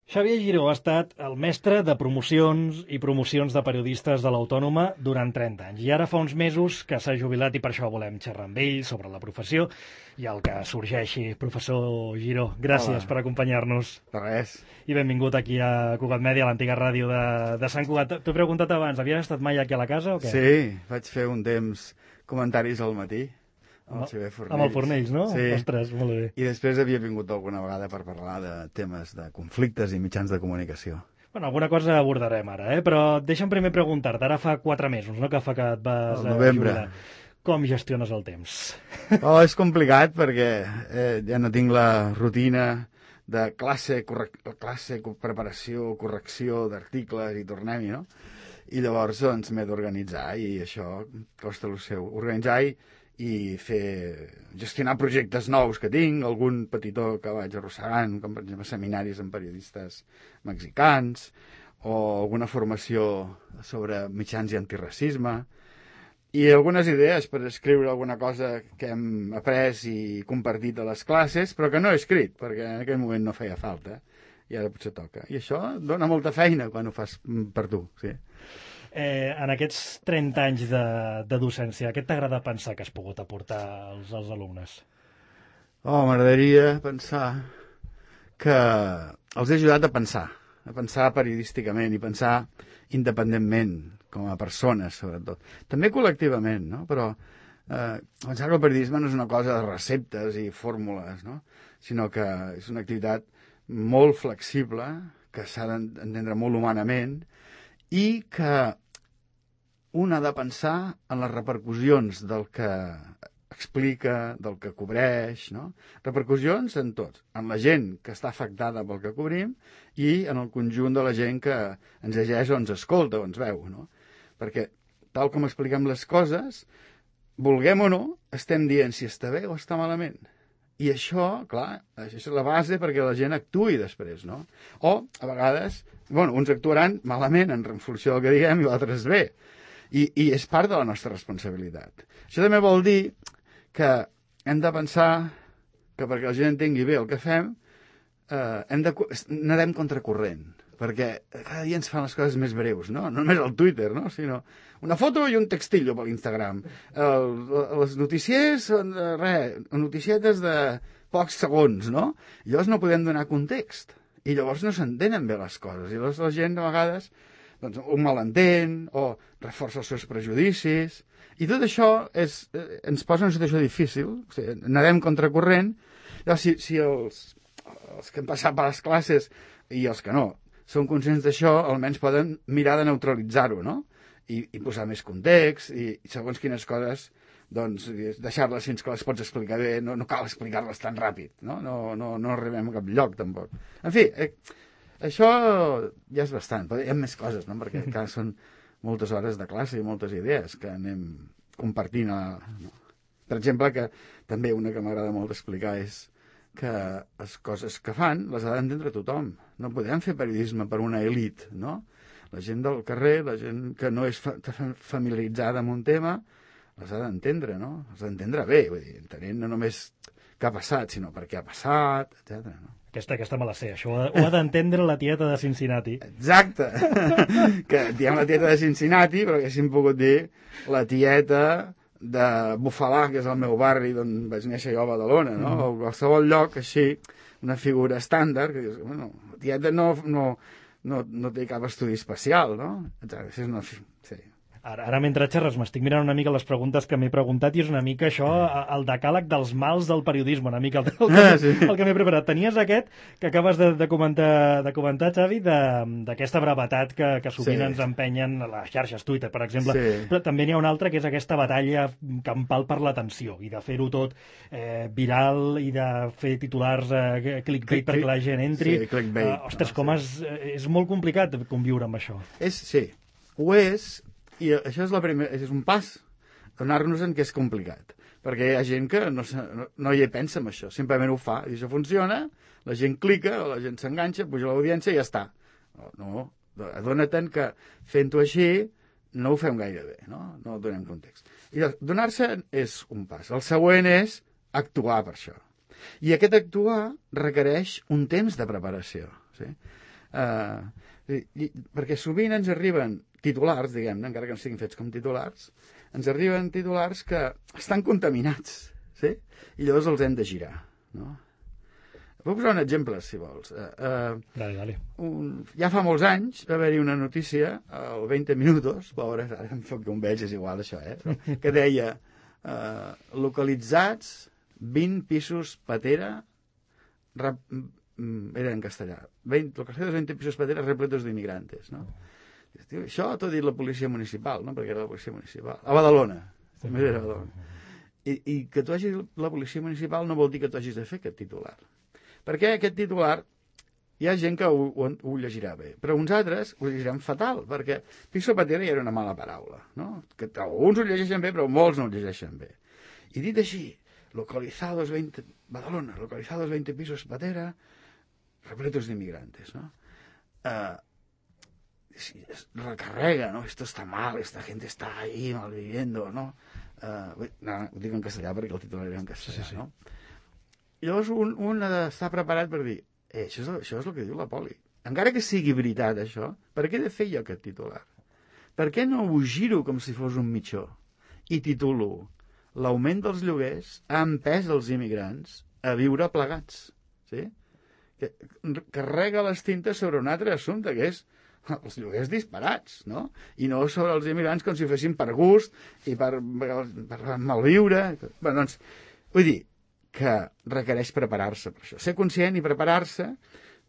Xavier Giró ha estat el mestre de promocions i promocions de periodistes de l'Autònoma durant 30 anys. I ara fa uns mesos que s'ha jubilat i per això volem xerrar amb ell sobre la professió i el que sorgeixi. Professor Giró, gràcies per acompanyar-nos. De res. I benvingut aquí a Cugat Mèdia, a l'antiga ràdio de Sant Cugat. T'ho he preguntat abans, havies estat mai aquí a la casa o què? Sí, vaig fer un temps comentaris al matí. Amb el Fornells, no? Sí. Ostres, molt bé. I després havia vingut alguna vegada per parlar de temes de conflictes i mitjans de comunicació. Bueno, alguna cosa abordarem ara, però deixa'm primer preguntar-te. Ara fa 4 mesos, no?, que fa que et vas jubilar. Com gestiones el temps? És complicat perquè ja no tinc la rutina de classe, preparació, correcció d'articles i tornem-hi, no? I llavors doncs m'he d'organitzar i això costa el seu. Organitzar i gestionar projectes nous que tinc, algun petitó que vaig arrossegant, com per exemple seminaris amb periodistes mexicans, o alguna formació sobre mitjans i antiracisme, i algunes idees per escriure alguna cosa que hem après i compartit a les classes, però que no he escrit, perquè en aquell moment no feia falta, i ara potser toca. I això dona molta feina quan ho fas per tu, sí. En aquests 30 anys de docència, què t'agrada pensar que has pogut aportar als alumnes? M'agradaria pensar que els he ajudat a pensar periodísticament i pensar independentment, com a persones, sobretot. També col·lectivament, no? Però pensar que el periodisme no és una cosa de receptes i fórmules, no? Sinó que és una activitat molt flexible, que s'ha d'entendre molt humanament, i que un ha de pensar en les repercussions del que explica, del que cobreix, no? Repercussions en tots, en la gent que està afectada pel que cobrim i en el conjunt de la gent que ens llegeix o ens escolta o ens veu, no? Perquè, tal com expliquem les coses, vulguem o no, estem dient si està bé o està malament. I això, clar, això és la base perquè la gent actuï després, no? O, a vegades, uns actuaran malament en funció del que diguem i altres bé. I és part de la nostra responsabilitat. Això també vol dir que hem de pensar que perquè la gent entengui bé el que fem, nedem contracorrent, perquè cada dia ens fan les coses més breus, no? No només al Twitter, no? Sinó una foto i un textillo per l'Instagram. Les notícies són, noticietes de pocs segons, no? I llavors no podem donar context. I llavors no s'entenen bé les coses. I llavors la gent, a vegades, un malentén o reforça els seus prejudicis. I tot això ens posa en una situació difícil. O sigui, nedem contracorrent. Llavors, si els que han passat per les classes i els que no són conscients d'això, almenys poden mirar de neutralitzar-ho, no? I posar més context i segons quines coses doncs deixar-les fins que les pots explicar bé, no cal explicar-les tan ràpid, no arribem a cap lloc tampoc. En fi, això ja és bastant, però hi ha més coses, no? Perquè encara són moltes hores de classe i moltes idees que anem compartint. Per exemple, que també una que m'agrada molt explicar és que les coses que fan les ha d'entendre tothom. No podem fer periodisme per una elit, no? La gent del carrer, la gent que no és familiaritzada amb un tema, les ha d'entendre, no? Les ha d'entendre bé, vull dir, entenent no només què ha passat, sinó per què ha passat, etc. No? Aquesta me la sé, això ho ha d'entendre la tieta de Cincinnati. Exacte, que diem la tieta de Cincinnati, però haguéssim pogut dir la tieta de Bufalà, que és el meu barri d'on vaig néixer jo a Badalona, no? O qualsevol lloc així, una figura estàndard, que dius, la tieta no té cap estudi especial, no? Exacte, sí. Ara mentre xerres m'estic mirant una mica les preguntes que m'he preguntat i és una mica això, el decàleg dels mals del periodisme, una mica el que m'he preparat. Tenies aquest que acabes de comentar, Xavi, d'aquesta brevetat que sovint ens empenyen a les xarxes, Twitter, per exemple, però també n'hi ha una altra que és aquesta batalla campal per l'atenció i de fer-ho tot viral i de fer titulars clickbait perquè la gent entri. Sí, clickbait. Ostres, és molt complicat conviure amb això. Sí, ho és. I això és un pas, donar-nos en que és complicat, perquè hi ha gent que no hi pensa en això, simplement ho fa, i això funciona, la gent clica, la gent s'enganxa, puja l'audiència i ja està. No, adona't que fent-ho així no ho fem gaire bé, no donem context. I donar-se és un pas. El següent és actuar per això. I aquest actuar requereix un temps de preparació. Sí? Perquè sovint ens arriben titulars, diguem-ne, encara que no siguin fets com titulars, ens arriben titulars que estan contaminats, sí? I llavors els hem de girar, no? Puc posar un exemple, si vols. Dale. Ja fa molts anys va haver-hi una notícia, al 20 Minutos, pobres, ara em fa que un veig, és igual això, que deia localitzats 20 pisos patera, era en castellà, localizados 20 pisos patera repletos de inmigrantes, no? Això t'ho ha dit la policia municipal, no? Perquè era la policia municipal. A Badalona. També era a Badalona. I que tu hagis la policia municipal no vol dir que tu hagis de fer aquest titular. Perquè aquest titular hi ha gent que ho llegirà bé, però uns altres ho llegiran fatal, perquè piso patera ja era una mala paraula, no? Que alguns ho llegeixen bé, però molts no ho llegeixen bé. I dit així, Badalona, localizados 20 pisos patera, repletos de inmigrantes, no? Recarrega, ¿no? Esto está mal, esta gente está ahí malviviendo, ¿no? No, ho dic en castellà perquè el titular era en castellà, sí. No? I llavors un ha d'estar preparat per dir això és el que diu la poli. Encara que sigui veritat això, per què he de fer jo aquest titular? Per què no ho giro com si fos un mitjó i titulo l'augment dels lloguers ha empès els immigrants a viure plegats, sí? Que carrega les tintes sobre un altre assumpte, que és els lloguers disparats, no? I no sobre els immigrants com si ho fessin per gust i per malviure. Bé, doncs, vull dir que requereix preparar-se per això. Ser conscient i preparar-se,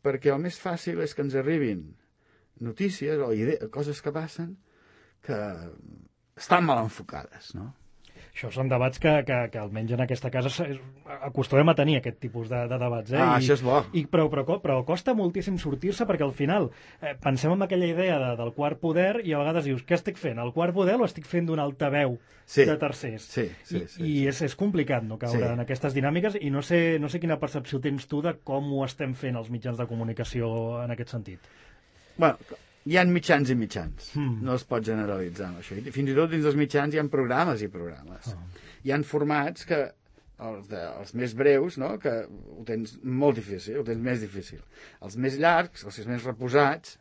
perquè el més fàcil és que ens arribin notícies o coses que passen que estan mal enfocades, no? Això són debats que almenys en aquesta casa acostumem a tenir aquest tipus de debats. Això és bo. Però costa moltíssim sortir-se perquè al final pensem en aquella idea del quart poder i a vegades dius, què estic fent? El quart poder o estic fent d'un altaveu de tercers? Sí. I és complicat no caure en aquestes dinàmiques i no sé quina percepció tens tu de com ho estem fent els mitjans de comunicació en aquest sentit. Bueno, hi ha mitjans i mitjans, no es pot generalitzar amb això. I fins i tot dins dels mitjans hi ha programes i programes. Hi ha formats que, els més breus, no? Que ho tens molt difícil, ho tens més difícil. Els més llargs, els més reposats,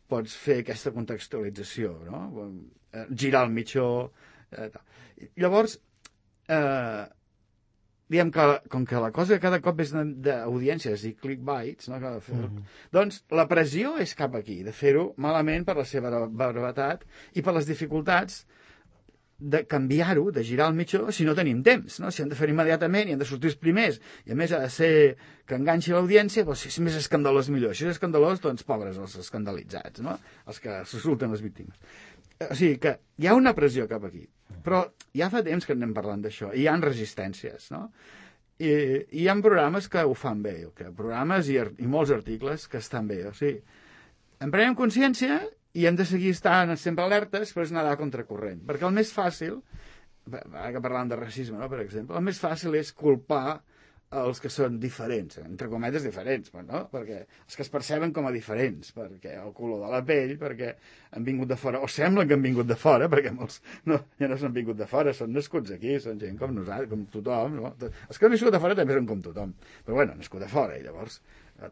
pots fer aquesta contextualització, no? Girar el mitjó. Llavors, diguem que com que la cosa cada cop és d'audiències i clickbaits, no? Doncs la pressió és cap aquí, de fer-ho malament per la seva brevetat i per les dificultats de canviar-ho, de girar el mitjó, si no tenim temps, no? Si hem de fer immediatament i hem de sortir els primers, i a més ha de ser que enganxi l'audiència, doncs si és més escandalós millor. Si és escandalós, doncs pobres els escandalitzats, no? Els que resulten les víctimes. O sigui que hi ha una pressió cap aquí, però ja fa temps que anem parlant d'això, i hi ha resistències, no? I hi ha programes que ho fan bé, programes i molts articles que estan bé, o sigui, en prenem consciència i hem de seguir estant sempre alertes, però és nedar a contracorrent, perquè el més fàcil, ara que parlàvem de racisme, no, per exemple, el més fàcil és culpar els que són diferents, entre cometes diferents, no? Perquè els que es perceben com a diferents, perquè el color de la pell, perquè han vingut de fora, o semblen que han vingut de fora, perquè molts ja no s'han vingut de fora, són nascuts aquí, són gent com nosaltres, com tothom, no? Els que han viscut de fora també són com tothom, però bueno, nascut de fora, i llavors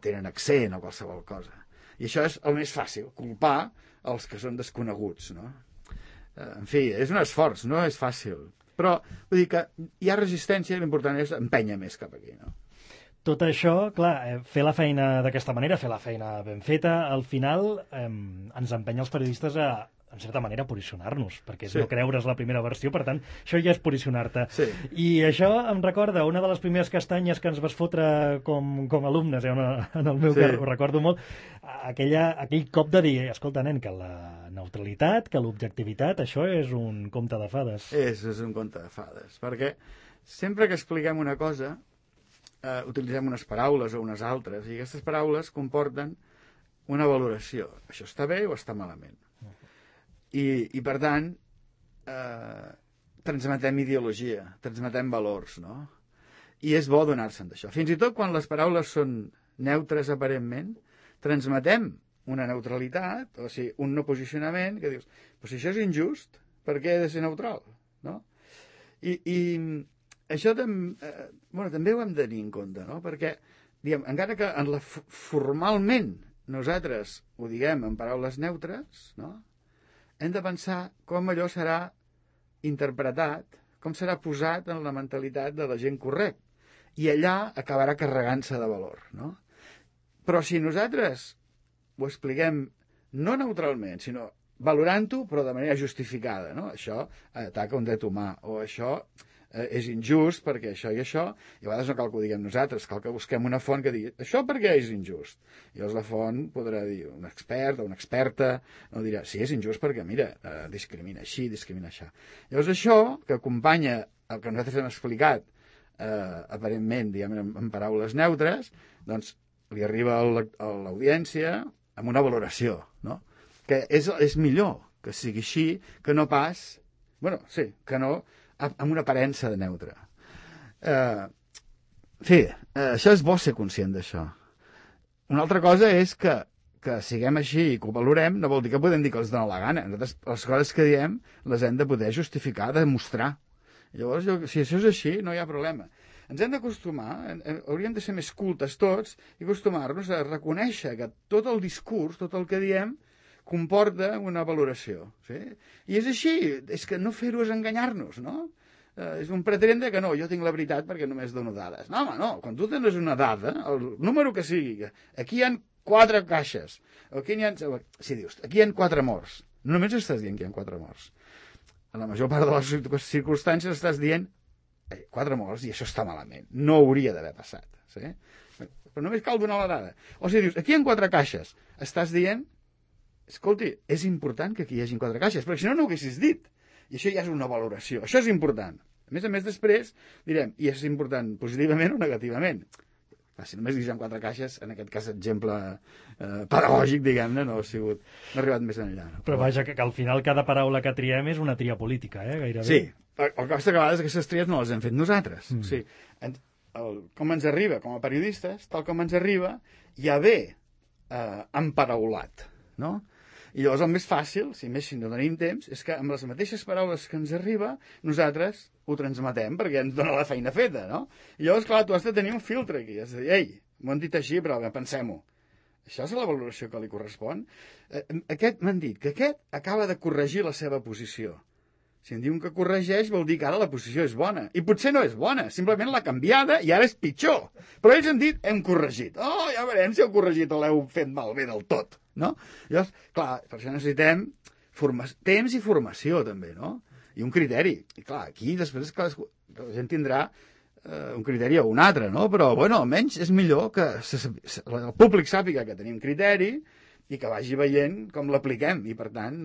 tenen accent o qualsevol cosa. I això és el més fàcil, culpar els que són desconeguts, no? En fi, és un esforç, no és fàcil. Però vull dir que hi ha resistència i l'important és empènyer més cap aquí, no? Tot això, clar, fer la feina d'aquesta manera, fer la feina ben feta, al final ens empenya els periodistes a, en certa manera, posicionar-nos, perquè és no creure's la primera versió, per tant, això ja és posicionar-te. Sí. I això em recorda una de les primeres castanyes que ens vas fotre com alumnes, en el meu cas, ho recordo molt, aquell cop de dir, escolta, nen, que la neutralitat, que l'objectivitat, això és un conte de fades. És un conte de fades, perquè sempre que expliquem una cosa, utilitzem unes paraules o unes altres, i aquestes paraules comporten una valoració. Això està bé o està malament? I per tant, transmetem ideologia, transmetem valors, no? I és bo donar-se'n d'això. Fins i tot quan les paraules són neutres aparentment, transmetem una neutralitat, o sigui, un no posicionament, que dius, però si això és injust, per què he de ser neutral? No? I això també ho hem de tenir en compte, no? Perquè, diguem, encara que formalment nosaltres ho diguem en paraules neutres, no? Hem de pensar com allò serà interpretat, com serà posat en la mentalitat de la gent correcta. I allà acabarà carregant-se de valor, no? Però si nosaltres ho expliquem no neutralment, sinó valorant-ho, però de manera justificada, no? Això ataca un dret humà, o això és injust perquè això i això, i a vegades no cal que ho diguem nosaltres, cal que busquem una font que digui això per què és injust. I llavors la font podrà dir, un expert o una experta, no dirà, sí, és injust perquè, mira, discrimina així, discrimina això. Llavors això, que acompanya el que nosaltres hem explicat, aparentment, diguem, en paraules neutres, doncs li arriba a l'audiència amb una valoració, no? Que és millor que sigui així que no pas, bueno, sí, que no amb una aparença de neutre. Això és bo ser conscient d'això. Una altra cosa és que siguem així i que ho valorem, no vol dir que podem dir que els dona la gana. Nosaltres, les coses que diem les hem de poder justificar, demostrar. Llavors, si això és així, no hi ha problema. Ens hem d'acostumar, hauríem de ser més cultes tots i acostumar-nos a reconèixer que tot el discurs, tot el que diem, comporta una valoració. Sí? I és així, és que no fer-ho és enganyar-nos, no? És un pretendre que no, jo tinc la veritat perquè només dono dades. No, home, no, quan tu tens una dada, el número que sigui, aquí hi ha 4 caixes, o aquí hi ha... Si dius, aquí hi ha 4 morts, no només estàs dient que hi ha 4 morts. En la major part de les circumstàncies estàs dient 4 morts i això està malament, no hauria d'haver passat. Sí? Però només cal donar la dada. O si dius, aquí hi ha 4 caixes, estàs dient, escolti, és important que aquí hi hagi 4 caixes, perquè si no, no ho haguessis dit. I això ja és una valoració. Això és important. A més, després direm, i és important positivament o negativament. Si només hi ha 4 caixes, en aquest cas exemple pedagògic, diguem-ne, no ha arribat més enllà. No? Però vaja, que al final cada paraula que triem és una tria política, gairebé. Sí, el que passa que a vegades aquestes tries no les hem fet nosaltres. O sigui, com ens arriba, com a periodistes, tal com ens arriba, ja ve emparaulat, no? I llavors el més fàcil, si no tenim temps, és que amb les mateixes paraules que ens arriba, nosaltres ho transmetem perquè ens dona la feina feta, no? I llavors, clar, tu has de tenir un filtre aquí, has de dir, ei, m'ho han dit així, però pensem-ho. Això és la valoració que li correspon. M'han dit que aquest acaba de corregir la seva posició. Si em diuen que corregeix, vol dir que ara la posició és bona. I potser no és bona, simplement l'ha canviada i ara és pitjor. Però ells han dit, hem corregit. Oh, ja veurem si heu corregit o l'heu fet malbé del tot. No? Llavors, clar, per això necessitem temps i formació també, no? I un criteri. I clar, aquí després la gent tindrà un criteri o un altre, no? Però, bueno, almenys és millor que el públic sàpiga que tenim criteri i que vagi veient com l'apliquem i, per tant,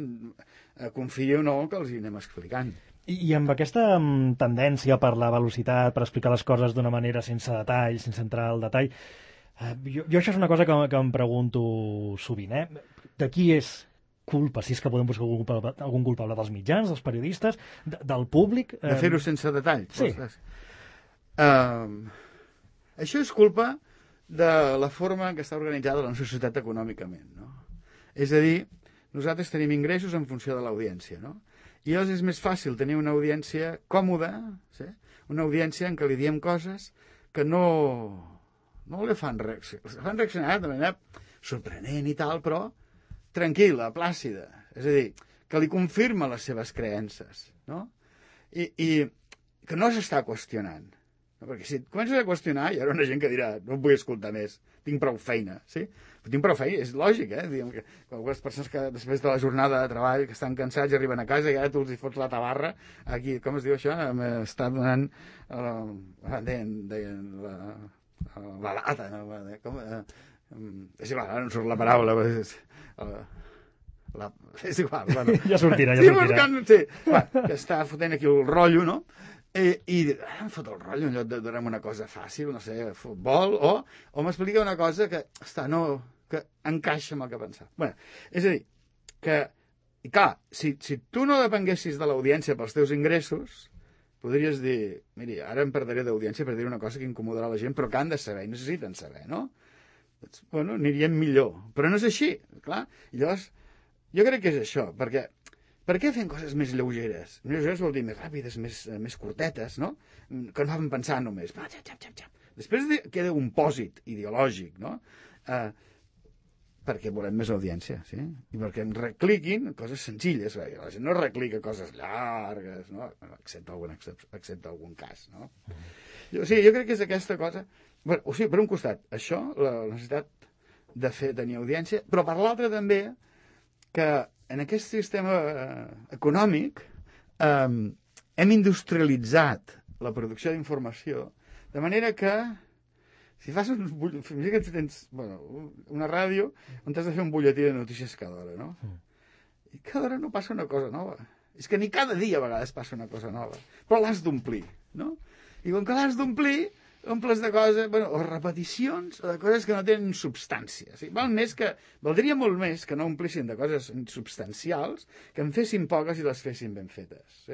confia o no que els hi anem explicant. I amb aquesta tendència per la velocitat, per explicar les coses d'una manera sense detall, sense entrar al detall, jo això és una cosa que em pregunto sovint, de qui és culpa, si és que podem buscar algun culpable dels mitjans, dels periodistes, del públic? De fer-ho sense detall? Sí. Això és culpa de la forma en què està organitzada la nostra societat econòmicament, no? És a dir, nosaltres tenim ingressos en funció de l'audiència, no? I llavors és més fàcil tenir una audiència còmoda, sí? Una audiència en què li diem coses que no li fan reaccionar de manera sorprenent i tal, però tranquil·la, plàcida. És a dir, que li confirma les seves creences, no? I que no s'està qüestionant. No? Perquè si et comences a qüestionar, hi haurà una gent que dirà, no em vull escoltar més, tinc prou feina, sí? Però tinc prou feina, és lògic, Diguem que algunes persones que després de la jornada de treball, que estan cansats i arriben a casa i ara tu els hi fots la tabarra, aquí, com es diu això? M'està donant la lata, no? És igual, ara no surt la paraula, és igual, bueno. Ja sortirà. Sí, que està fotent aquí el rotllo, no? I em fot el rotllo en lloc de donar una cosa fàcil, no sé, futbol, o m'explica una cosa que encaixa amb el que pensava. Bueno, és a dir, que, i clar, si tu no depenguessis de l'audiència pels teus ingressos, podries dir, miri, ara em perdré d'audiència per dir una cosa que incomodarà la gent, però que han de saber i necessiten saber, no? Doncs, bueno, aniríem millor. Però no és així, clar. I llavors, jo crec que és això, perquè per què fem coses més lleugeres? Més lleugeres vol dir més ràpides, més curtetes, no? Que no fan pensar només. Després queda un pòsit ideològic, no? perquè volem més audiència, sí? I perquè ens recliquin coses senzilles. La gent no reclica coses llargues, no? Excepte algun cas, no? Jo crec que és aquesta cosa... Bueno, o sigui, per un costat, això, la necessitat de tenir audiència, però per l'altre també que en aquest sistema econòmic hem industrialitzat la producció d'informació de manera que si fas que tens una ràdio on has de fer un butlletí de notícies cada hora, no? I cada hora no passa una cosa nova. És que ni cada dia a vegades passa una cosa nova. Però l'has d'omplir, no? I com que l'has d'omplir, omples de coses, o repeticions, o de coses que no tenen substància. Valdria molt més que no omplissin de coses substancials, que en fessin poques i les fessin ben fetes.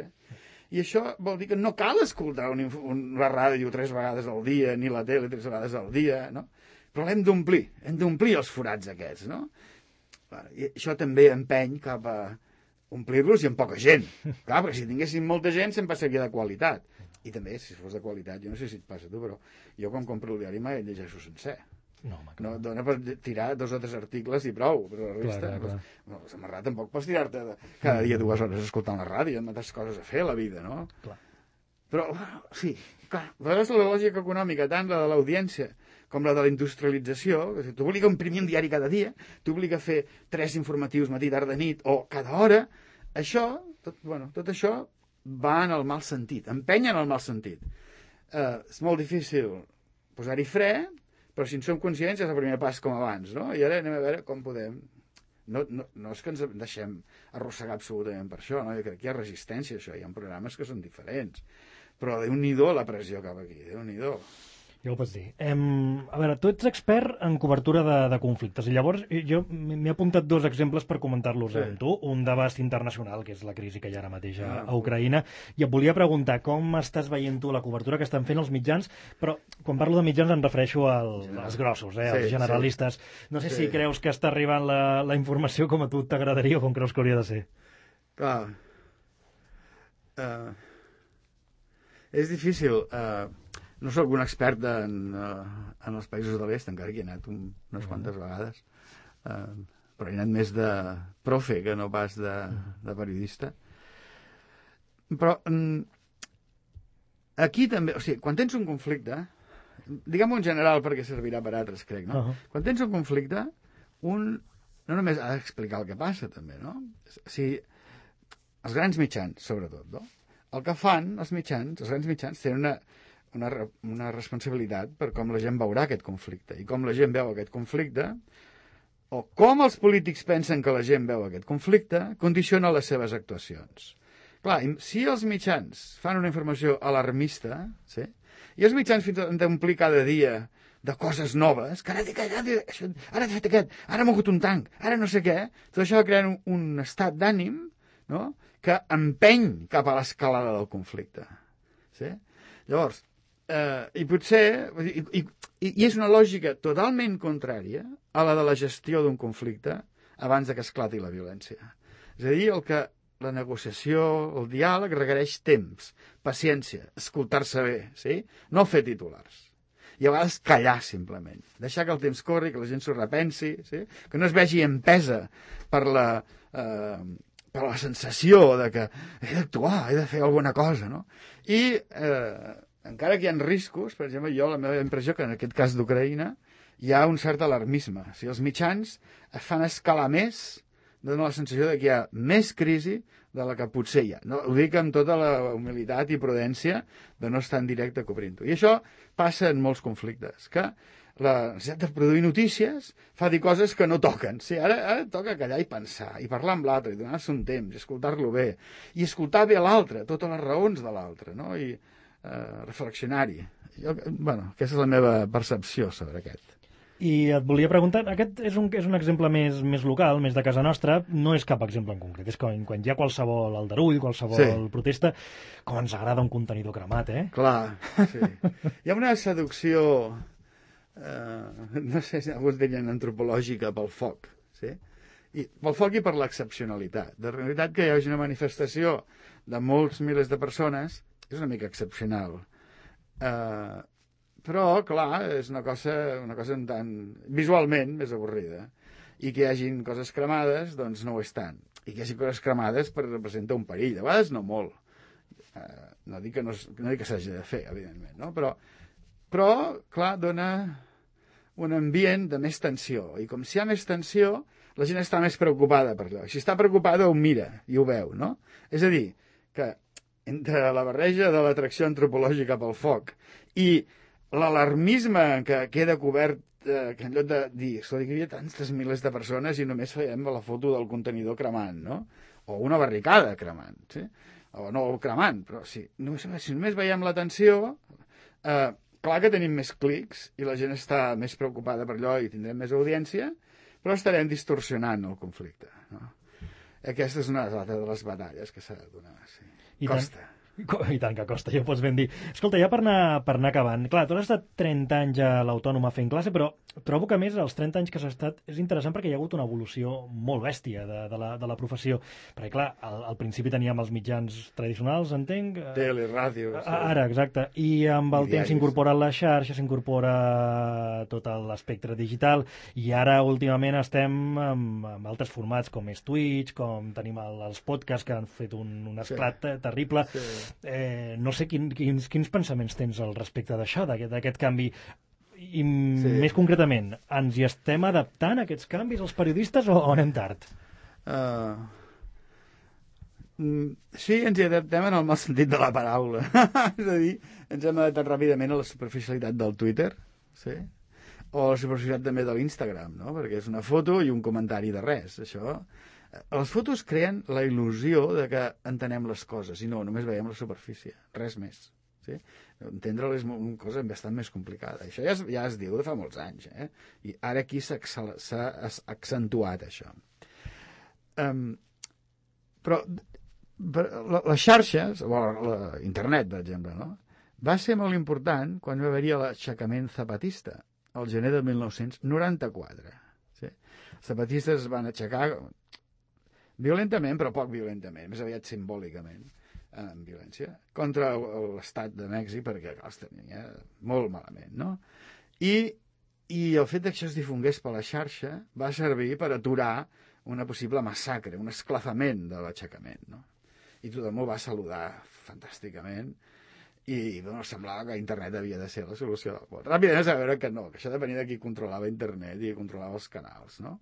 I això vol dir que no cal escoltar una ràdio 3 vegades al dia, ni la tele 3 vegades al dia, no? Però l'hem d'omplir els forats aquests, no? I això també empeny cap a omplir-los i amb poca gent. Clar, perquè si tinguéssim molta gent sempre seria de qualitat. I també, si fos de qualitat, jo no sé si et passa a tu, però jo quan compro el diari mai el llegeixo sencer. No, dona per tirar 2 o 3 articles i prou, però la resta... Clar. La Samarrà tampoc pots tirar-te cada dia 2 hores escoltant la ràdio, amb altres coses a fer a la vida, no? Clar. Però, sí, clar, a vegades la lògica econòmica, tant la de l'audiència com la de la industrialització, que t'obliga a imprimir un diari cada dia, t'obliga a fer 3 informatius matí, tarda, nit, o cada hora, tot això va en el mal sentit, empenya en el mal sentit. És molt difícil posar-hi fre, però si en som conscients és el primer pas com abans, no? I ara anem a veure com podem... No és que ens deixem arrossegar absolutament per això, no? Jo crec que hi ha resistència a això, hi ha programes que són diferents, però Déu-n'hi-do la pressió cap aquí, Déu-n'hi-do. Ja ho pots dir. A veure, tu ets expert en cobertura de conflictes, i llavors jo m'he apuntat 2 exemples per comentar-los amb tu. Un d'abast internacional, que és la crisi que hi ha ara mateix a Ucraïna, i et volia preguntar com estàs veient tu la cobertura que estan fent els mitjans, però quan parlo de mitjans em refereixo als grossos, als generalistes. No sé si creus que està arribant la informació com a tu t'agradaria o com creus que hauria de ser. Clar. És difícil. No soc un expert en els països de l'est, encara que hi he anat unes quantes vegades, però he anat més de profe que no pas de periodista. Però aquí també, o sigui, quan tens un conflicte, diguem-ho en general perquè servirà per altres, crec, no? Quan tens un conflicte, no només ha d'explicar el que passa, també, no? O sigui, els grans mitjans, sobretot, no? El que fan els grans mitjans tenen una responsabilitat per com la gent veurà aquest conflicte. I com la gent veu aquest conflicte, o com els polítics pensen que la gent veu aquest conflicte, condiciona les seves actuacions. Clar, si els mitjans fan una informació alarmista, sí? I els mitjans fins han d'omplir cada dia de coses noves, que ara ha fet aquest, ara ha mogut un tanc, ara no sé què, tot això va creant un estat d'ànim, no?, que empeny cap a l'escalada del conflicte. Sí? Llavors, i potser... I és una lògica totalment contrària a la de la gestió d'un conflicte abans que esclati la violència. És a dir, la negociació, el diàleg requereix temps, paciència, escoltar-se bé, sí? No fer titulars. I a vegades callar, simplement. Deixar que el temps corri, que la gent s'ho repensi, sí? Que no es vegi empesa per la sensació de que he d'actuar, he de fer alguna cosa, no? I encara que hi ha riscos, per exemple, la meva impressió que en aquest cas d'Ucraïna hi ha un cert alarmisme. O sigui, els mitjans es fan escalar més, dona la sensació de que hi ha més crisi de la que potser hi ha. No, ho dic amb tota la humilitat i prudència de no estar en directe cobrint-ho. I això passa en molts conflictes, que la necessitat de produir notícies fa dir coses que no toquen. Sí, ara toca callar i pensar, i parlar amb l'altre, i donar-se un temps, i escoltar-lo bé, i escoltar bé l'altre, totes les raons de l'altre, no? I reflexionar-hi. Aquesta és la meva percepció sobre aquest. I et volia preguntar, aquest és un exemple més local, més de casa nostra, no és cap exemple en concret, és quan hi ha qualsevol aldarull, qualsevol protesta, com ens agrada un contenidor cremat, eh? Clar, sí. Hi ha una seducció, no sé si alguns dirien antropològica, pel foc, sí? I pel foc i per l'excepcionalitat. De realitat que hi hagi una manifestació de molts milers de persones és una mica excepcional. Però, clar, és una cosa un tant visualment més avorrida. i que hi hagin coses cremades, doncs no ho és tant. I que hi hagi coses cremades representa un perill, de vegades no molt. No dic que s'hagi de fer, evidentment, no? Però, clar, dona un ambient de més tensió. I com si hi ha més tensió, la gent està més preocupada per allò. Si està preocupada, ho mira i ho veu, no? És a dir, que entre la barreja de l'atracció antropològica pel foc i l'alarmisme que queda cobert, que en lloc de dir, escolta, que hi havia tantes milers de persones i només fèiem la foto del contenidor cremant, no? O una barricada cremant, sí? O no cremant, però sí. Si només veiem l'atenció, clar que tenim més clics i la gent està més preocupada per allò i tindrem més audiència, però estarem distorsionant el conflicte, no? Aquesta és una de les batalles que s'ha de donar. Sí. Costa. I tant que costa, ja ho pots ben dir. Escolta, ja per anar acabant, clar, tu has estat 30 anys a l'Autònoma fent classe, però trobo que, a més, els 30 anys que has estat és interessant perquè hi ha hagut una evolució molt bèstia de la professió. Perquè, clar, al principi teníem els mitjans tradicionals, entenc... Tele, ràdio... Sí. Ara, exacte. I amb el temps s'incorpora la xarxa, s'incorpora tot l'espectre digital, i ara, últimament, estem amb altres formats, com és Twitch, com tenim els podcasts que han fet un esclat terrible... Sí. No sé quins pensaments tens al respecte d'això, d'aquest canvi, i més concretament, ens hi estem adaptant a aquests canvis els periodistes o anem tard? Sí, ens hi adaptem en el mal sentit de la paraula. És a dir, ens hem adaptat ràpidament a la superficialitat del Twitter, sí? O a la superficialitat també de l'Instagram, no? Perquè és una foto i un comentari de res, això... Les fotos creen la il·lusió de que entenem les coses i no, només veiem la superfície, res més. Sí? Entendre-la és una cosa bastant més complicada. Això ja es diu de fa molts anys, i ara aquí s'ha accentuat això. Però les xarxes, o internet, per exemple, no? Va ser molt important quan va haver-hi l'aixecament zapatista, al gener de 1994. Sí? Els zapatistes es van aixecar violentament, però poc violentament, més aviat simbòlicament, amb violència, contra l'estat de Mèxic, perquè els tenia molt malament, no? I el fet que això es difongués per la xarxa va servir per aturar una possible massacre, un esclafament de l'aixecament, no? I tothom ho va saludar fantàsticament, i semblava que internet havia de ser la solució del món. Ràpidament es va veure que no, que això depenia de qui controlava internet i qui controlava els canals, no?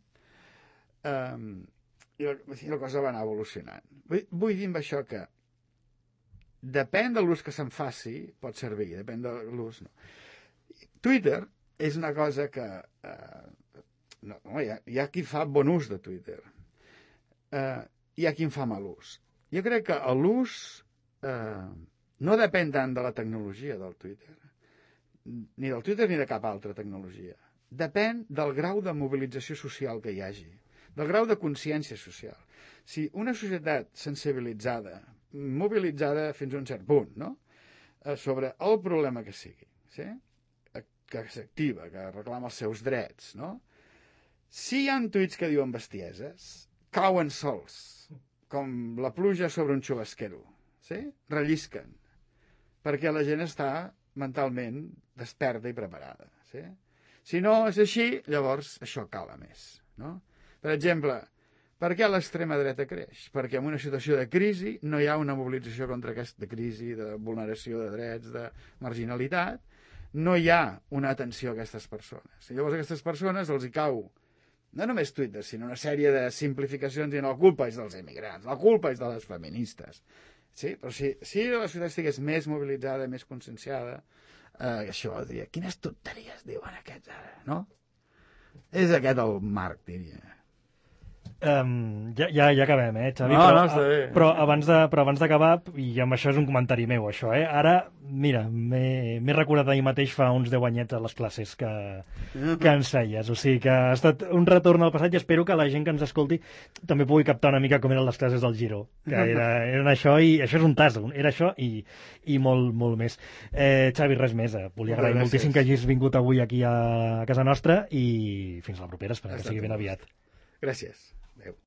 I la cosa va anar evolucionant. Vull dir amb això que depèn de l'ús que se'n faci, pot servir, depèn de l'ús, no. Twitter és una cosa que... hi ha qui fa bon ús de Twitter. Hi ha qui en fa mal ús. Jo crec que l'ús no depèn tant de la tecnologia del Twitter, ni del Twitter ni de cap altra tecnologia. Depèn del grau de mobilització social que hi hagi, del grau de consciència social. Si una societat sensibilitzada, mobilitzada fins a un cert punt, no? Sobre el problema que sigui, sí? Que s'activa, que reclama els seus drets, no? Si hi ha tuits que diuen bestieses, cauen sols, com la pluja sobre un xubasquero, sí? Rellisquen, perquè la gent està mentalment desperta i preparada, sí? Si no és així, llavors això cala més, no? Per exemple, per què l'extrema dreta creix? Perquè en una situació de crisi no hi ha una mobilització contra aquesta crisi, de vulneració de drets, de marginalitat, no hi ha una atenció a aquestes persones. I llavors a aquestes persones els hi cau no només Twitter, sinó una sèrie de simplificacions i la culpa és dels emigrants, la culpa és de les feministes. Sí? Però si la societat estigués més mobilitzada, més conscienciada, això diria, quines tonteries diuen aquests ara, no? És aquest el marc, diria. Ja acabem, Xavi? No, està bé. Però abans d'acabar, i amb això és un comentari meu, això, ara, mira, m'he recordat ahir mateix fa uns 10 anyets a les classes que ens feies, o sigui que ha estat un retorn al passat i espero que la gent que ens escolti també pugui captar una mica com eren les classes del Giro, que eren això, i això és un tas, era això i molt, molt més. Xavi, res més, volia agrair moltíssim que hagis vingut avui aquí a casa nostra i fins a la propera, esperem que sigui ben aviat. Gràcies.